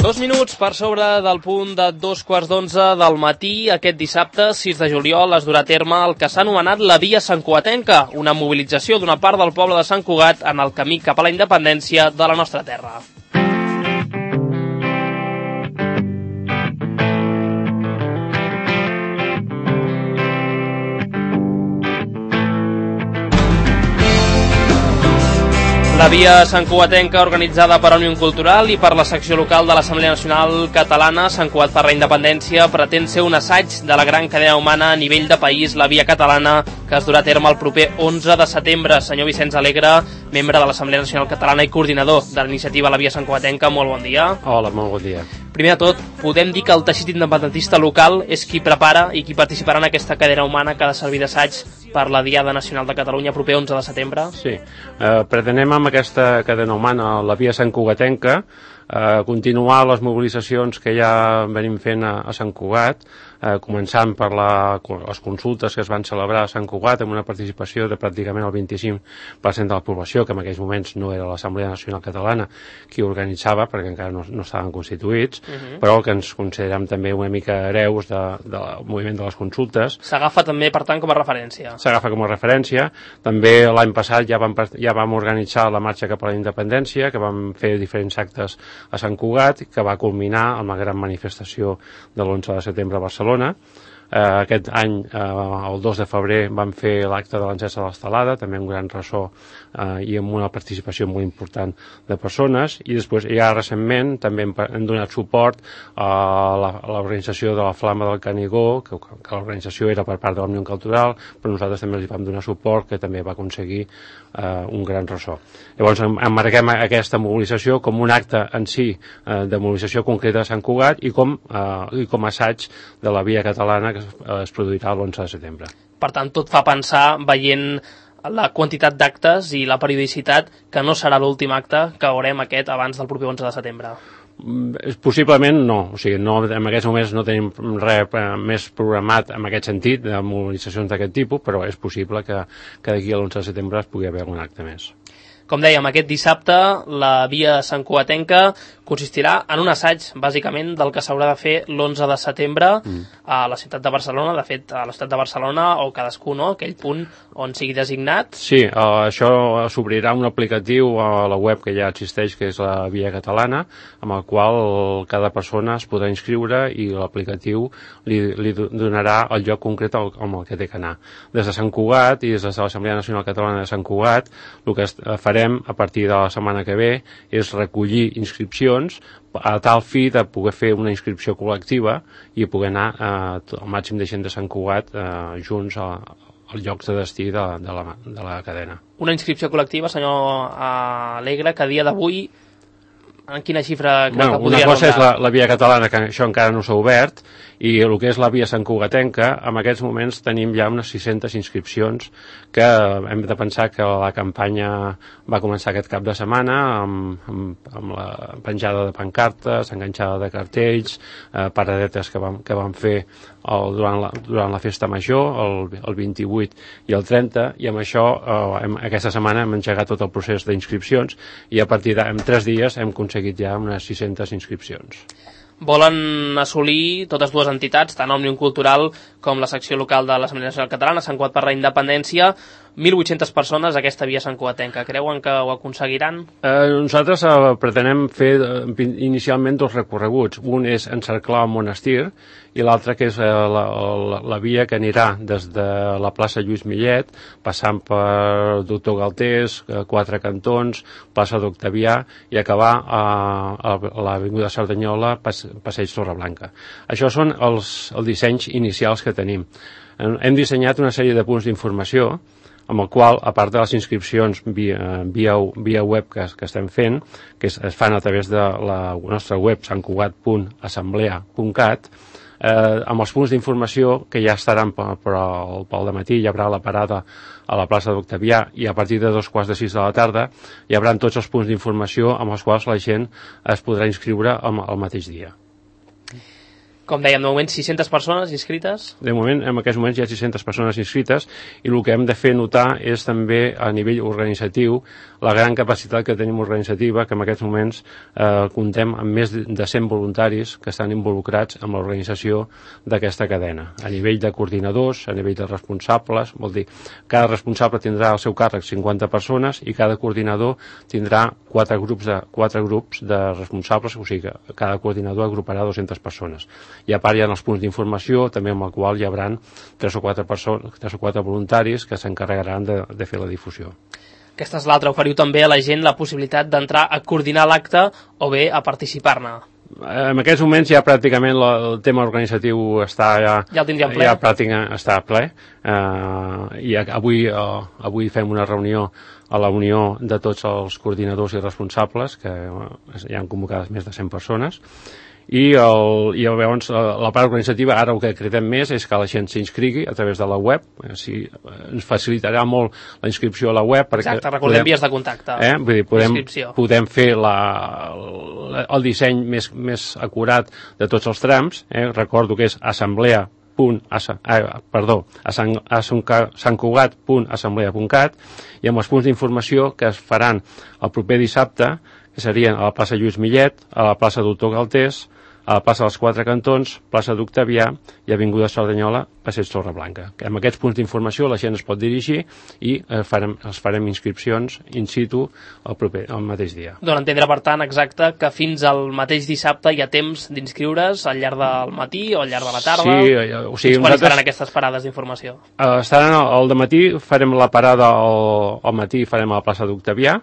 2 minuts per sobre del punt de 2:15 del matí. Aquest dissabte, 6 de juliol, es durà a terme el que s'ha anomenat la Via Santcugatenca, una mobilització d'una part del poble de Sant Cugat en el camí cap a la independència de la nostra terra. La Via Santcugatenca, organitzada per Òmnium Cultural i per la secció local de l'Assemblea Nacional Catalana Sant Cugat per la Independència, pretén ser un assaig de la gran cadena humana a nivell de país, la Via Catalana, que es durà a terme el proper 11 de setembre. Senyor Vicenç Alegre, membre de l'Assemblea Nacional Catalana i coordinador de l'iniciativa La Via Santcugatenca, molt bon dia. Hola, molt bon dia. Primer de tot, podem dir que el teixit independentista local és qui prepara i qui participarà en aquesta cadena humana que ha de servir d'assaig per la Diada Nacional de Catalunya proper 11 de setembre? Sí, pretenem amb aquesta cadena humana, la Via Santcugatenca, continuar les mobilitzacions que ja venim fent a Sant Cugat, començant per les consultes que es van celebrar a Sant Cugat amb una participació de pràcticament el 25% de la població, que en aquells moments no era l'Assemblea Nacional Catalana qui organitzava, perquè encara no estaven constituïts, però que ens considerem també una mica hereus del moviment de les consultes. S'agafa també, per tant, com a referència. S'agafa com a referència. També l'any passat ja vam organitzar la marxa cap a la independència, que vam fer diferents actes a Sant Cugat, que va culminar amb la gran manifestació de l'11 de setembre a Barcelona. Aquest any, el 2 de febrer, vam fer l'acte de l'encesa de l'Estelada, també un gran ressò i amb una participació molt important de persones, i després ja recentment també hem donat suport a l'organització de la Flama del Canigó, que l'organització era per part de l'Òmnium Cultural, però nosaltres també els vam donar suport, que també va aconseguir un gran ressò. Llavors emmarquem aquesta mobilització com un acte en si de mobilització concreta de Sant Cugat i com a assaig de la Via Catalana que es produirà l'11 de setembre. Per tant, tot fa pensar, veient la quantitat d'actes i la periodicitat, que no serà l'últim acte que veurem aquest abans del proper 11 de setembre. Possiblement no, o sigui, en aquests moments no tenim res més programat en aquest sentit de mobilitzacions d'aquest tipus, però és possible que d'aquí a l'11 de setembre es pugui haver algun acte més. Com dèiem, aquest dissabte la Via Santcugatenca consistirà en un assaig, bàsicament, del que s'haurà de fer l'11 de setembre a la ciutat de Barcelona, de fet, a la ciutat de Barcelona o cadascú, no?, aquell punt on sigui designat. Sí, això s'obrirà un aplicatiu a la web que ja existeix, que és la Via Catalana, amb el qual cada persona es podrà inscriure i l'aplicatiu li donarà el lloc concret amb el que té que anar. Des de Sant Cugat i des de l'Assemblea Nacional Catalana de Sant Cugat, el que farem a partir de la setmana que ve és recollir inscripcions a tal fi de poder fer una inscripció col·lectiva i poder anar al màxim de gent de Sant Cugat junts als llocs de destí de la cadena. Una inscripció col·lectiva, senyor Alegre, que a dia d'avui en quina xifra creu que podria rondar? Una cosa és la Via Catalana, que això encara no s'ha obert, i el que és la Via Santcugatenca, en aquests moments tenim ja unes 600 inscripcions, que hem de pensar que la campanya va començar aquest cap de setmana amb la penjada de pancartes, enganxada de cartells, paradetes que vam fer durant la festa major, el 28 i el 30, i amb això aquesta setmana hem engegat tot el procés d'inscripcions i a partir en 3 dies hem aconseguit ja unes 600 inscripcions. Volen assolir totes dues entitats, tant Òmnium Cultural com la secció local de l'Assemblea Nacional Catalana, Sant Cugat per la Independència, 1.800 persones a aquesta Via Santcugatenca. Creuen que ho aconseguiran? Nosaltres pretenem fer inicialment 2 recorreguts. Un és encerclar el monestir i l'altre que és la via que anirà des de la plaça Lluís Millet, passant per Doctor Galtés, 4 cantons, plaça d'Octavià i acabar a l'avinguda Cerdanyola, passeig Torreblanca. Això són els dissenys inicials que tenim. Hem dissenyat una sèrie de punts d'informació amb el qual, a part de les inscripcions via web que estem fent, que es fan a través de la nostra web santcugat.assemblea.cat, amb els punts d'informació que ja estaran pel dematí, hi haurà la parada a la plaça d'Octavià i a partir de 5:15 de la tarda hi haurà tots els punts d'informació amb els quals la gent es podrà inscriure el mateix dia. Com dèiem, de moment 600 persones inscrites. De moment, en aquests moments hi ha 600 persones inscrites i el que hem de fer notar és també a nivell organitzatiu la gran capacitat que tenim organitzativa, que en aquests moments comptem amb més de 100 voluntaris que estan involucrats en l'organització d'aquesta cadena. A nivell de coordinadors, a nivell de responsables, vol dir, cada responsable tindrà al seu càrrec 50 persones i cada coordinador tindrà 4 grups de responsables, o sigui que cada coordinador agruparà 200 persones. I a part hi ha els punts d'informació, també amb el qual hi haurà 3 o 4 voluntaris que s'encarregaran de fer la difusió. Aquesta és l'altra, oferiu també a la gent la possibilitat d'entrar a coordinar l'acte o bé a participar-ne. En aquests moments ja pràcticament el tema organitzatiu està ja el tindríem ple. Ja pràcticament està ple. I avui fem una reunió a la unió de tots els coordinadors i responsables, que ja han convocat més de 100 persones, i llavors la part organitzativa ara el que cridem més és que la gent s'inscrigui a través de la web. Ens facilitarà molt la inscripció a la web perquè exacte, recordem vies de contacte, vull dir, podem fer el disseny més acurat de tots els trams. Recordo que és santcugat.assemblea.cat i amb els punts d'informació que es faran el proper dissabte, que serien a la plaça Lluís Millet, a la plaça Doctor Galtés, a la plaça dels Quatre Cantons, plaça d'Octavià i avinguda Cerdanyola, passeig Torreblanca. Amb aquests punts d'informació la gent es pot dirigir i els farem inscripcions in situ el mateix dia. Dóna a entendre, per tant, exacte, que fins al mateix dissabte hi ha temps d'inscriure's al llarg del matí o al llarg de la tarda. Sí, o sigui, quan faran aquestes parades d'informació? Estaran al dematí, farem la parada al matí, farem a la plaça d'Octavià,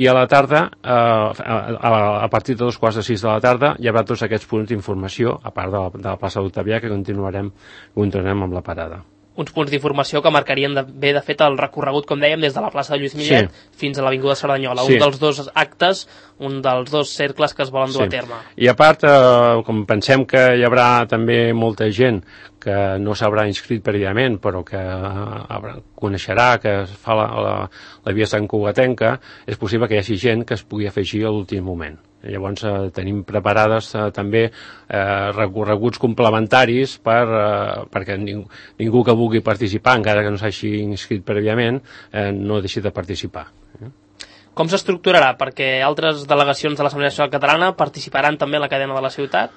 i a la tarda, a partir de 5:45 de la tarda, hi haurà tots aquests punts d'informació, a part de la plaça d'Octavià, que continuarem amb la parada. Uns punts d'informació que marcarien bé, de fet, el recorregut, com dèiem, des de la plaça de Lluís Millet fins a l'avinguda Cerdanyola. Un dels dos actes, un dels dos cercles que es volen dur a terme. I a part, com pensem que hi haurà també molta gent que no s'haurà inscrit prèviament, però que coneixerà que es fa la via santcugatenca, és possible que hi hagi gent que es pugui afegir a l'últim moment. Llavors tenim preparades també recorreguts complementaris perquè ningú que vulgui participar, encara que no s'hagi inscrit prèviament, no deixi de participar. Com s'estructurarà? Perquè altres delegacions de l'Assemblea Nacional Catalana participaran també en la cadena de la ciutat?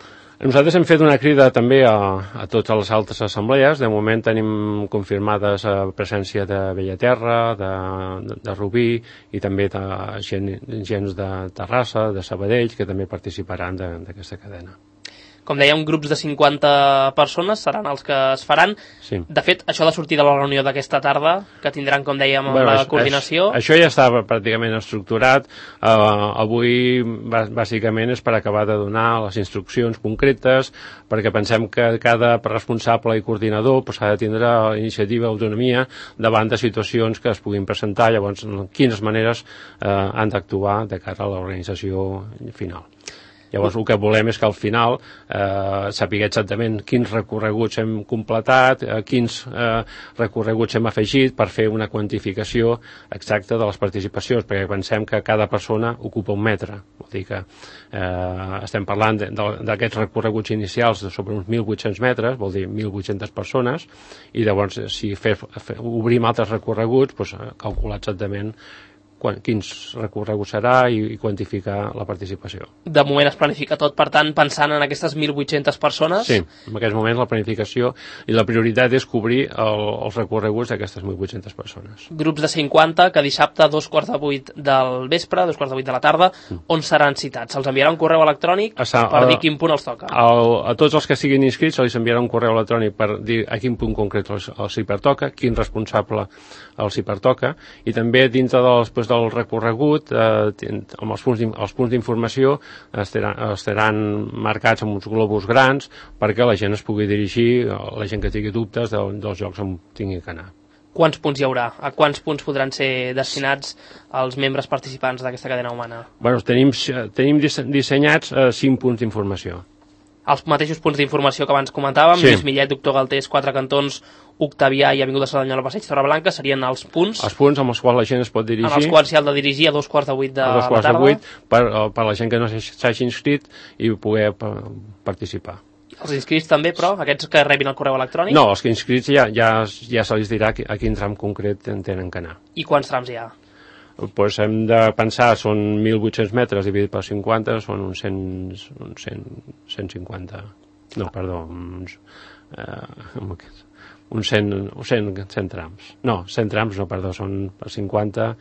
Nosaltres hem fet una crida també a totes les altres assemblees. De moment tenim confirmades presència de Bellaterra, de Rubí i també gens de Terrassa, de Sabadell, que també participaran d'aquesta cadena. Com dèiem, grups de 50 persones seran els que es faran. Sí. De fet, això ha de sortir de la reunió d'aquesta tarda, que tindran, com dèiem, la coordinació. Això ja estava pràcticament estructurat. Avui, bàsicament, és per acabar de donar les instruccions concretes, perquè pensem que cada responsable i coordinador ha de tindre iniciativa, autonomia, davant de situacions que es puguin presentar. Llavors, quines maneres han d'actuar de cara a l'organització final. Llavors el que volem és que al final saber exactament quins recorreguts hem completat, quins recorreguts hem afegit per fer una quantificació exacta de les participacions, perquè pensem que cada persona ocupa un metre. Vol dir que estem parlant d'aquests recorreguts inicials de sobre uns 1.800 metres, vol dir 1.800 persones, i llavors si obrim altres recorreguts, calcular exactament quins recorreguts serà i quantificar la participació. De moment es planifica tot, per tant, pensant en aquestes 1.800 persones? Sí, en aquests moments la planificació i la prioritat és cobrir els recorreguts d'aquestes 1.800 persones. Grups de 50 que dissabte a 2:45 del vespre, 2:45 de la tarda, on seran citats? Se'ls enviarà un correu electrònic per dir quin punt els toca? A tots els que siguin inscrits se'ls enviarà un correu electrònic per dir a quin punt concret els hi pertoca, quin responsable els hi pertoca, i també dintre del recorregut amb els punts d'informació estaran marcats amb uns globus grans perquè la gent es pugui dirigir, la gent que tingui dubtes dels llocs on tingui que anar. Quants punts hi haurà? A quants punts podran ser destinats els membres participants d'aquesta cadena humana? Tenim dissenyats 5 punts d'informació. Els mateixos punts d'informació que abans comentàvem, Lluís Millet, Doctor Galtés, Quatre Cantons, Octavià i avinguda Cerdanyola, passeig Torreblanca, serien els punts... Els punts amb els quals la gent es pot dirigir... En els quals s'hi ha de dirigir a 2:45 de la tarda. Per la gent que no s'hagi inscrit i poder participar. Els inscrits també, però, aquests que rebin el correu electrònic? No, els que inscrits ja se li dirà a quin tram concret tenen que anar. I quants trams hi ha? Pues hem de pensar, són 1.800 metres dividit per 50, són uns 150... No, perdó, uns 100 trams. No, 100 trams no, perdó, són per 50,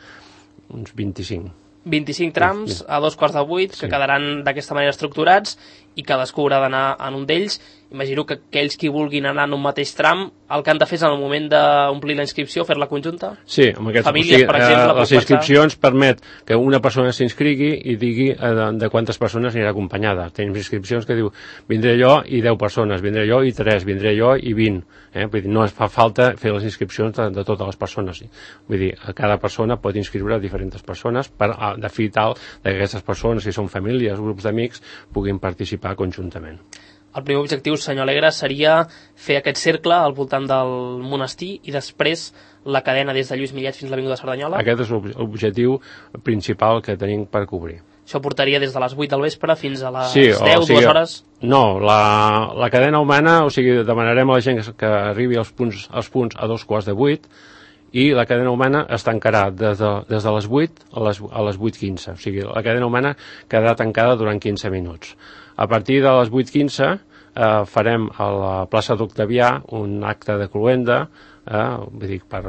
uns 25. 25 trams a 7:45, que quedaran d'aquesta manera estructurats i cadascú haurà d'anar en un d'ells. Imagino que aquells qui vulguin anar en un mateix tram, el que han de fer és en el moment d'omplir la inscripció, fer-la conjunta? Sí, amb aquests, famílies, per exemple, les inscripcions permet que una persona s'inscrigui i digui de quantes persones anirà acompanyada. Tenim inscripcions que diu, vindré jo i 10 persones, vindré jo i 3, vindré jo i 20. Vull dir, no es fa falta fer les inscripcions de totes les persones. Vull dir, cada persona pot inscriure diferents persones de fi tal que aquestes persones, si són famílies, grups d'amics, puguin participar conjuntament. El primer objectiu, senyor Alegre, seria fer aquest cercle al voltant del monestir i després la cadena des de Lluís Millet fins a l'Avinguda Cerdanyola? Aquest és l'objectiu principal que tenim per cobrir. Això portaria des de les 8 del vespre fins a les 10, 2 hores? No, la cadena humana, demanarem a la gent que arribi als punts a 7:45 i la cadena humana es tancarà des de les 8 a les 8:15. O sigui, la cadena humana quedarà tancada durant 15 minuts. A partir de les 8:15 farem a la plaça d'Octavià un acte de cloenda, vull dir, per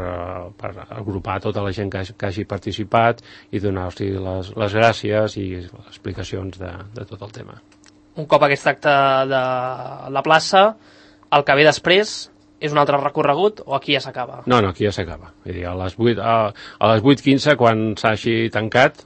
agrupar tota la gent que hagi participat i donar-los les gràcies i les explicacions de tot el tema. Un cop aquest acte de la plaça, el que ve després és un altre recorregut o aquí ja s'acaba? No, aquí ja s'acaba. Vull dir, a les 8:15, quan s'hagi tancat,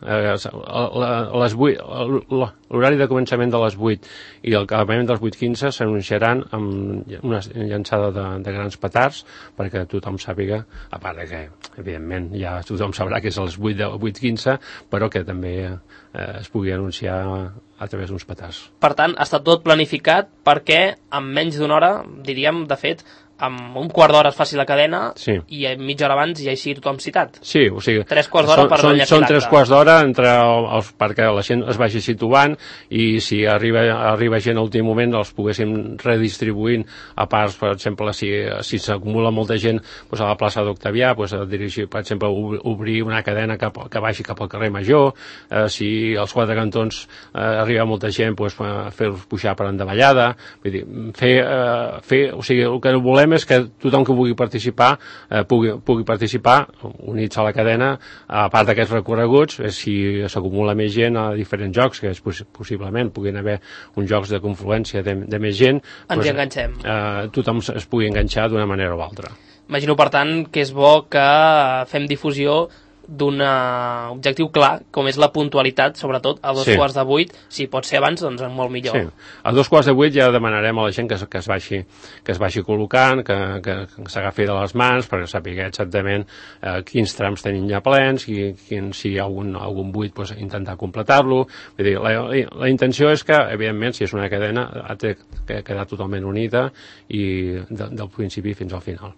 l'horari de començament de les 8 i el acabament dels 8:15 s'anunciaran amb una llançada de grans petards perquè tothom sàpiga, a part que, evidentment, ja tothom sabrà que és a les 8:15, però que també es pugui anunciar a través d'uns petards. Per tant, està tot planificat perquè en menys d'una hora, diríem, de fet, amb un quart d'hora es faci la cadena i mitja hora abans ja hi sigui tothom citat. Sí, o sigui, 3 quarts d'hora per enllaçar són 3 quarts d'hora perquè la gent es vagi situant i si arriba gent a l'últim moment els poguéssim redistribuint a parts, per exemple, si s'acumula molta gent a la plaça d'Octavià, dirigir, per exemple, obrir una cadena que vagi cap al carrer Major, si als 4 cantons arriba molta gent, fer-los pujar per endavallada, vull dir, o sigui, el que volem és que tothom que vulgui participar pugui participar units a la cadena, a part d'aquests recorreguts, si s'acumula més gent a diferents jocs, que possiblement puguin haver uns jocs de confluència de més gent, ens hi enganxem. Tothom es pugui enganxar d'una manera o altra. Imagino, per tant, que és bo que fem difusió d'un objectiu clar, com és la puntualitat, sobretot a 7:45. Si pot ser abans, doncs molt millor. Sí, a 7:45 ja demanarem a la gent que es vagi col·locant, que s'agafi de les mans perquè sàpiga exactament quins trams tenim ja plens, si hi ha algun buit, intentar completar-lo. Vull dir, la intenció és que, evidentment, si és una cadena, ha de quedar totalment unida i del principi fins al final.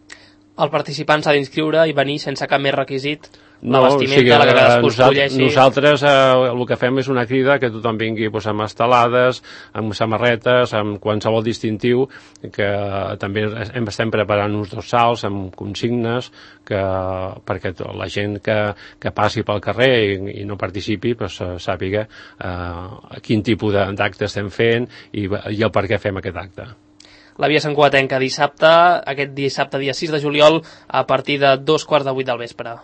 El participant s'ha d'inscriure i venir sense cap més requisit? La vestimenta, la que cadascú escolleixi? Nosaltres el que fem és una crida que tothom vingui amb estelades, amb samarretes, amb qualsevol distintiu, que també estem preparant uns dorsals amb consignes perquè la gent que passi pel carrer i no participi sàpiga quin tipus d'acte estem fent i el per què fem aquest acte. La Via Sant Cugatenca aquest dissabte, dia 6 de juliol, a partir de 7:45 del vespre.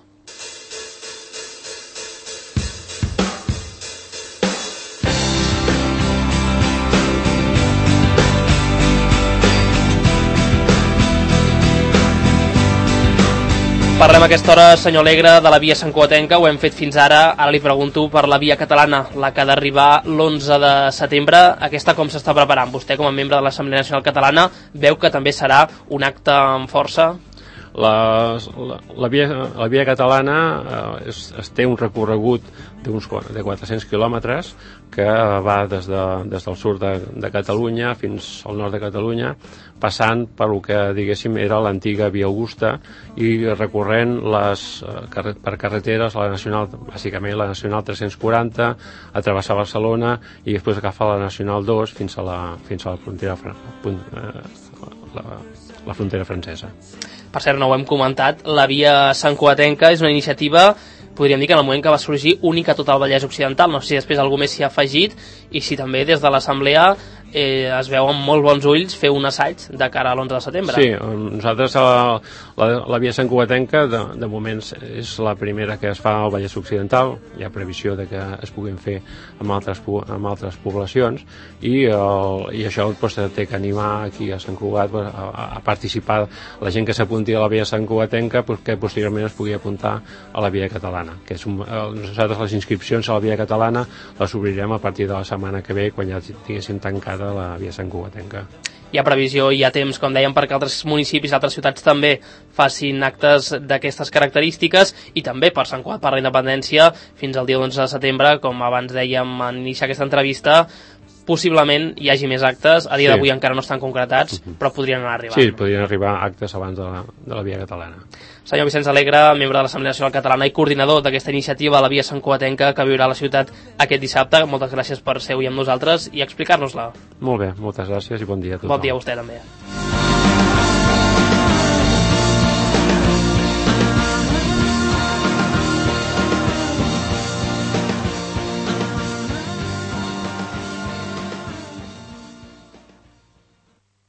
Parlem a aquesta hora, senyor Alegre, de la Via Sant Cugatenca, ho hem fet fins ara. Ara li pregunto per la Via Catalana, la que ha d'arribar l'11 de setembre. Aquesta com s'està preparant? Vostè, com a membre de l'Assemblea Nacional Catalana, veu que també serà un acte amb força? La via catalana es té un recorregut de 400 quilòmetres que va des del sud de Catalunya fins al nord de Catalunya, passant per el que diguéssim era l'antiga Via Augusta i recorrent per carreteres bàsicament la Nacional 340, a travessar Barcelona i després agafar la Nacional 2 fins a la frontera la frontera francesa. Per cert, no ho hem comentat, la Via Santcugatenca és una iniciativa, podríem dir que en el moment que va sorgir, única a tot el Vallès Occidental. No sé si després algú més s'hi ha afegit i si també des de l'Assemblea es veu amb molt bons ulls fer un assaig de cara a l'11 de setembre. Sí, nosaltres la Via Santcugatenca de moment és la primera que es fa al Vallès Occidental. Hi ha previsió de que es puguin fer amb altres poblacions i això doncs, té que animar aquí a Sant Cugat a participar, la gent que s'apunti a la Via Santcugatenca que posteriorment es pugui apuntar a la Via Catalana, que nosaltres les inscripcions a la Via Catalana les obrirem a partir de la setmana que ve, quan ja tinguéssim tancada la Via Santcugatenca. Hi ha previsió, hi ha temps, com dèiem, perquè altres municipis, altres ciutats també facin actes d'aquestes característiques i també per Sant Cugat, per la independència, fins al dia 11 de setembre, com abans dèiem en iniciar aquesta entrevista, possiblement hi hagi més actes, a dia d'avui encara no estan concretats, però podrien anar arribant. Sí, podrien arribar actes abans de la Via Catalana. Senyor Vicenç Alegre, membre de l'Assemblea Nacional Catalana i coordinador d'aquesta iniciativa, la Via Santcugatenca, que viurà a la ciutat aquest dissabte. Moltes gràcies per ser avui amb nosaltres i explicar-nos-la. Molt bé, moltes gràcies i bon dia a tothom. Bon dia a vostè també.